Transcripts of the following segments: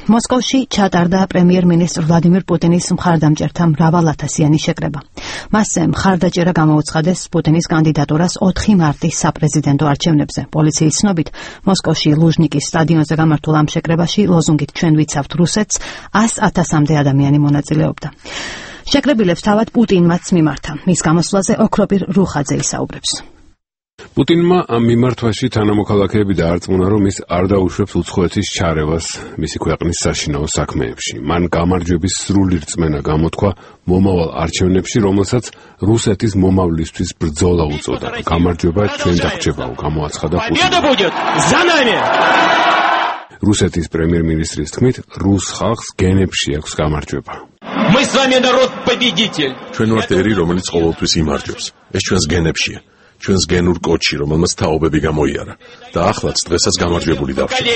მოსკოვში ჩატარდა პრემიერ-მინისტრ ვლადიმირ პუტინის მხარდამჭერთა მრავალათასიანი შეკრება. მასზე მხარდაჭერა გამოუცხადეს პუტინის კანდიდატურას 4 მარტის საპრეზიდენტო არჩევნებზე. პოლიციის ცნობით, მოსკოვში ლუჟნიკის სტადიონზე გამართულ ამ შეკრებაში ლოზუნგით ჩვენ ვიცავთ რუსეთს 100,000-მდე ადამიანი მონაწილეობდა. შეკრებილებს თავად პუტინმაც მიმართა. მის გამოსვლაზე ოქროპირ რუხაძე ისაუბრებს. პუტინმა ამ მიმართვაში თანამოქალაქეები დაარწმუნა, რომ ის არ დაუშვებს უცხოეთის ჩარევას მისი ქვეყნის საშინაო საქმეებში. მან გამარჯვების სრული რწმენა გამოთქვა მომავალ არჩევნებში, რომელსაც რუსეთის მომავლისთვის ბრძოლა უწოდა. გამარჯვება ჩვენ დაგრჩებაო, გამოაცხადა პუტინი. რუსეთის პრემიერ-მინისტრის თქმით, რუს ხალხს გენებში აქვს გამარჯვება. ჩვენ ვართ ერი, რომელიც ყოველთვის იმარჯვებს. ეს ჩვენს გენებშია. ჩვენს გენურ კოდში, რომელმაც თაობები გამოიარა და ახლაც დღესაც გამარჯვებული დავრჩება.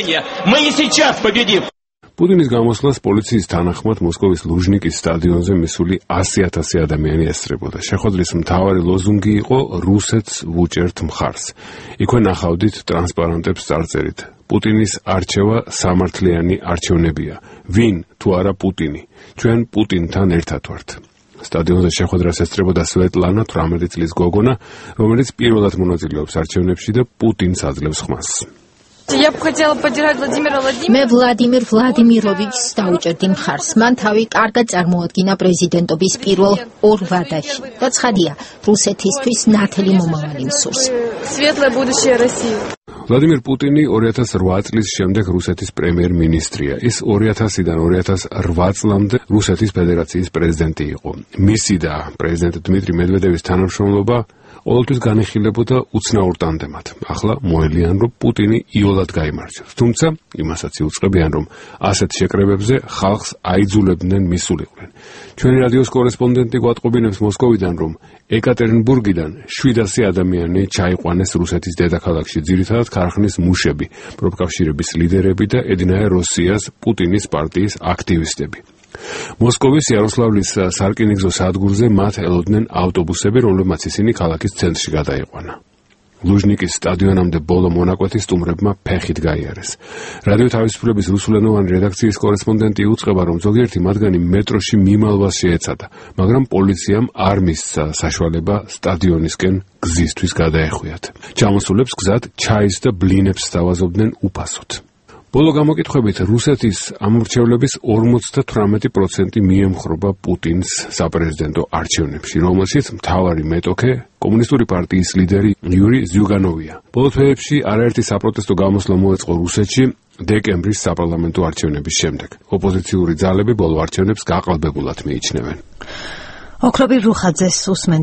პუტინის გამოსვლას პოლიციის თანახმად მოსკოვის ლუჟნიკის სტადიონზე მისული 100,000 ადამიანი ესწრებოდა. შეხვედრის მთავარი ლოზუნგი იყო რუსეთს ვუჭერთ მხარს. იქვე ნახავდით ტრანსპარანტებს წარწერით. პუტინის არჩევა სამართლიანი არჩევნებია. ვინ თუ არა პუტინი? ჩვენ პუტინთან ერთად ვართ. სტადიონზე შეხვედრას ესწრებოდა სვეტლანა, 18 წლის გოგონა, რომელიც პირველად მონაწილეობს არჩევნებში და პუტინს აძლევს ხმას. მე ვლადიმირ ვლადიმიროვიჩს დაუჭერდი მხარს. მან თავი კარგად წარმოადგინა პრეზიდენტობის პირველ 2 ვადაში და ცხადია, რუსეთისთვის ნათელი მომავალი მსურს. ვლადიმირ პუტინი 2008 წლის შემდეგ რუსეთის პრემიერ-მინისტრია. ის 2000-დან 2008 წლამდე რუსეთის ფედერაციის პრეზიდენტი იყო. მისი და პრეზიდენტ დმიტრი მედვედევის თანამშრომლობა ყოველთვის განიხილებოდა უცნაურ ტანდემად. ახლა მოელიან, რომ პუტინი იოლად გაიმარჯვებს. თუმცა იმასაც იუწყებიან, რომ ასეთ შეკრებებზე ხალხს აიძულებდნენ მისულიყვნენ. ჩვენი რადიოს კორესპონდენტი გვატყობინებს მოსკოვიდან, რომ ეკატერინბურგიდან 700 ადამიანი ჩაიყვანეს რუსეთის დედაქალაქში, ძირითადად ქარხნის მუშები, პროფკავშირების ლიდერები და ედნაე როსიას პუტინის პარტიის აქტივისტები. მოსკოვის იაროსლავლის სარკინიგზო სადგურზე მათ ელოდნენ ავტობუსები, რომლებმაც ისინი ქალაქის ცენტრში გადაიყვანა. ლუჟნიკის სტადიონამდე ბოლო მონაკვეთი სტუმრებმა ფეხით გაიარეს. რადიო თავისუფლების რუსულენოვანი რედაქციის კორესპონდენტი იუწყება, რომ ზოგიერთი მათგანი მეტროში მიმალვას შეეცადა, მაგრამ პოლიციამ არ მისცა საშუალება სტადიონისკენ გზისთვის გადაეხვიათ. ჩამოსულებს გზად ჩაის და ბლინებს სთავაზობდნენ უფასოდ. ბოლო გამოკითხვებით რუსეთის ამორჩევლების 58% მიემხრობა პუტინს საპრეზიდენტო არჩევნებში, რომელშიც მთავარი მეტოქე კომუნისტური პარტიის ლიდერი იური ზიუგანოვია. ბოლო თვეებში არაერთი საპროტესტო გამოსვლა მოეწყო რუსეთში დეკემბრის საპარლამენტო არჩევნების შემდეგ. ოპოზიციური ძალები ბოლო არჩევნებს გაყალბებულად მიიჩნევენ. ოქროპირ რუხაძეს უსმენთ.